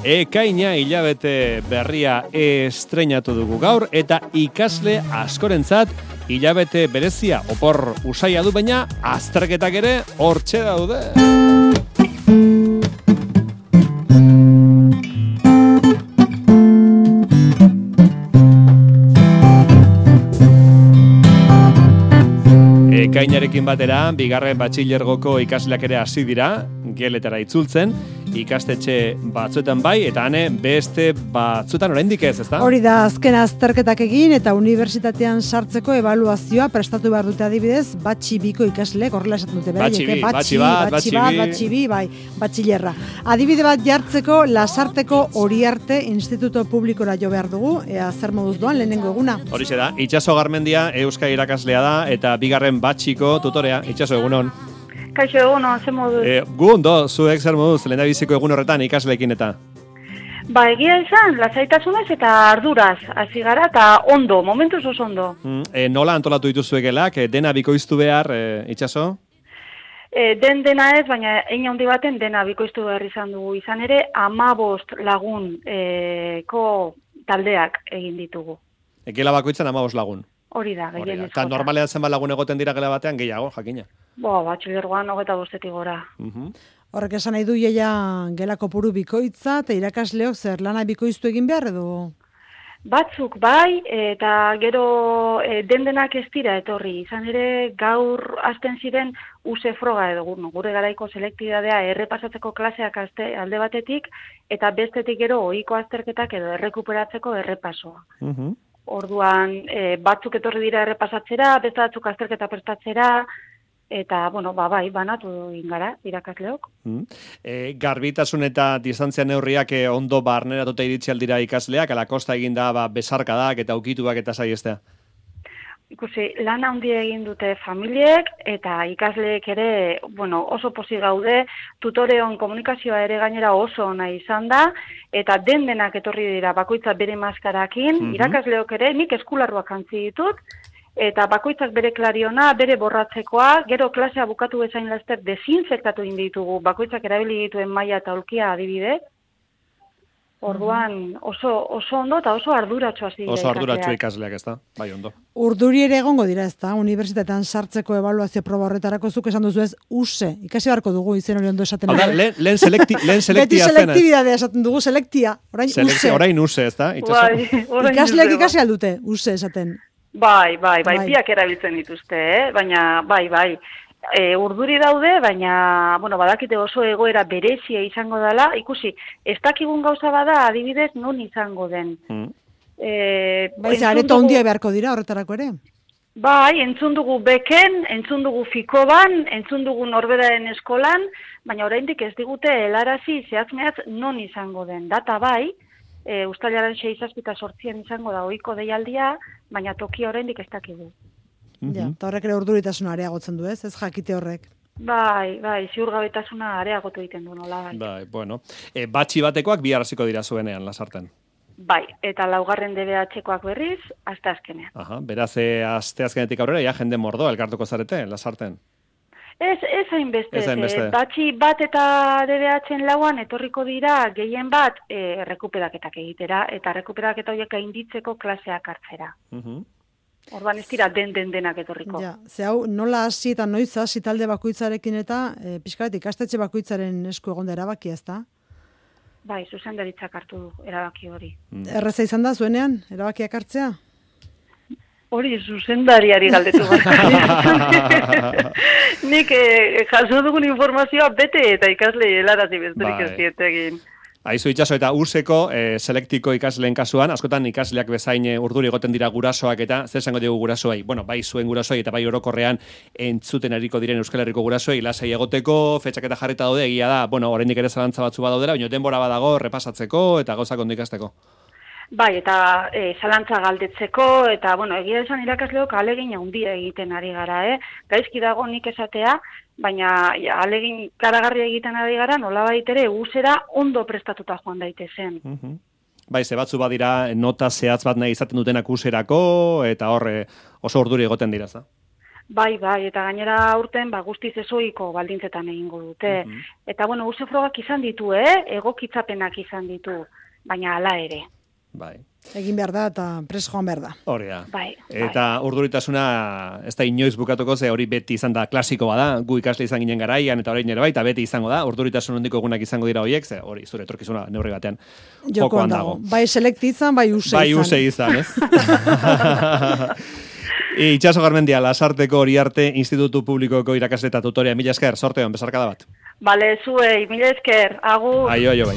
Ekaina hilabete berria estreinatu dugu gaur eta ikasle askorentzat hilabete berezia opor usaia du, baina azterketak ere hortxe daude. Ekainarekin batera, bigarren batxilergoko ikasleak ere hasi dira, geletara itzultzen, ikastetxe batzuetan bai, eta beste batzuetan oraindik ez, ezta? Hori da, azken azterketak egin eta unibertsitatean sartzeko ebaluazioa prestatu behar dute adibidez, batxi biko ikasleek horrela esaten dute. Batxi bi, bai, batxilerra. Adibide bat jartzeko, Lasarteko Oriarte Instituto Publikora jo behar dugu, ea zer moduz doan lehenengo eguna. Horixe da, Itxaso Garmendia euskara irakaslea da, eta bigarren batxiko tutorea, Itxaso, egunon. Kaixo, egunon, ze moduz? Gu ondo, zuek zer moduz, lehendabiziko egun horretan ikasleekin eta? Ba, egia izan, lasaitasunez eta arduraz, hasi gara, eta ondo, momentuz oso ondo. Nola antolatu dituzuekelak, dena bikoiztu behar, Itxaso? Dena ez, baina hein handi baten dena bikoiztu behar izan dugu. Izan ere, 15 lagun taldeak egin ditugu. Gela bakoitzan 15 lagun? Hori da, gehien ez. Eta normalean zenbat lagun egoten dira gela batean, gehiago, jakina? Batxilergoan 25 gora. Horrek esan nahi du jaia gela kopuru bikoitza, eta irakasleok zer lana bikoiztu egin behar edo? Batzuk bai, eta gero dendenak ez dira etorri. Izan ere, gaur hasten ziren use froga edo gure garaiko selektibitatea errepasatzeko klaseak alde batetik, eta bestetik gero ohiko azterketak edo errekuperatzeko errepasoa. Orduan, batzuk etorri dira errepasatzera, beste batzuk azterketa prestatzera, eta, bai, banatu egin gara, irakasleok. Garbitasun eta distantzia neurriak ondo barneratuta iritsi aldira ikasleak, ala kosta egin da besarkadak eta ukituak eta saiestea? Ikusi, lan handia egin dute familiek eta ikasleek ere, oso pozik gaude, tutoreon komunikazioa ere gainera oso ona izan da, eta denak etorri dira bakoitza bere maskarakin, irakasleok ere, nik eskularruak jantzi ditut, eta bakoitzak bere klariona, bere borratzekoa, gero klasea bukatu bezain laster desinfektatu egin ditugu, bakoitzak erabili dituen maila eta aulkia adibide. Orduan oso ondo eta oso arduratsu hasi dira. Oso arduratsu ikasleak, ezta? Bai, ondo. Urduri ere egongo dira, ezta? Unibertsitatean sartzeko ebaluazio proba horretarako zuk esan duzu ez, use. Ikasi beharko dugu izen hori ondo esaten. Lehen selektia zen. Beti selektibidadea esaten dugu, selektia. Orain use, ezta? Ikasleak ikasi aldute, use esaten. Bai, biak erabiltzen dituzte, baina bai. Urduri daude, baina, badakite oso egoera berezia izango dela, ikusi, ez dakigun gauza bada adibidez non izango den. Areto handia beharko dira horretarako ere? Bai, entzun dugu beken, entzun dugu fikoban, entzun dugu norberaren eskolan, baina oraindik ez digute helarazi zehatz-mehatz non izango den. Data bai, uztailaren 6-8 izango da ohiko deialdia, baina tokia oraindik ez dakigu. Eta horrek ere urduritasuna areagotzen du, ez jakite horrek. Bai, ziurgabetasuna areagotu egiten du nola. Batxi batekoak bihar hasiko dira zuenean, Lasarten. Bai, eta laugarren DBH-koak berriz, asteazkenean. Beraz, asteazkenetik aurrera, ja jende mordoa elkartuko zarete, Lasarten. Ez hainbeste. Batxi bat eta DBH-en lauan etorriko dira gehien bat rekuperaketak egitera, eta rekuperaketak horiek gainditzeko klaseak hartzera. Orduan ez dira denak etorriko. Hau, nola hasi eta noiz hasi talde bakoitzarekin eta pixkat ikastetxe bakoitzaren esku egon da erabakia, ezta? Bai, zuzendaritzak hartu du erabaki hori. Erraza izan da zuenean, erabakiak hartzea? Hori zuzendariari galdetu bat. Nik jaso dugun informazioa bete eta ikasle helarazi besterik ez dietegin. Aizu Itxaso, eta useko selektiko ikasleen kasuan, askotan ikasleak bezain urduri egoten dira gurasoak eta zer esango dugu gurasoei? Bai zuen gurasoei eta bai orokorrean entzuten ariko diren Euskal Herriko gurasoei lasai egoteko, fetxak eta jarrita daude, egia da, oraindik ere zalantza batzu badaudela, baina denbora badago repasatzeko eta gauzak ondo ikasteko. Bai, eta zalantza galdetzeko, eta, egia esan irakasleok ahalegin handia egiten ari gara, Gaizki dago nik esatea, baina ahalegin karagarria egiten ari gara, nolabait ere usera ondo prestatuta joan daitezen. Bai, ze batzu badira nota zehatz bat nahi izaten dutenak userako, eta hor oso urduri egoten dira, za? Bai, eta gainera aurten guztiz ezoiko baldintzetan egingo dute. Eta bueno, use frogak izan ditu, egokitzapenak izan ditu, baina hala ere. Bai. Egin behar da eta pres joan behar da. Hori da. Bai. Eta urduritasuna ez da inoiz bukatuko, ze hori beti izan da klasikoa da, gu ikasle izan ginen garaian eta orain ere bai, eta beti izango da, urduritasun hondiko egunak izango dira horiek, ze hori zure etorkizuna neurri batean jokoan dago. Bai selekti izan, bai use izan. Bai use izan, ez? Itxaso Garmendia, Lasarteko Oriarte Institutu Publikoko irakasle eta tutorea. Mila esker, sorte hon, besarkada bat. Bale, zuei, mila esker, agur. Aio, bai.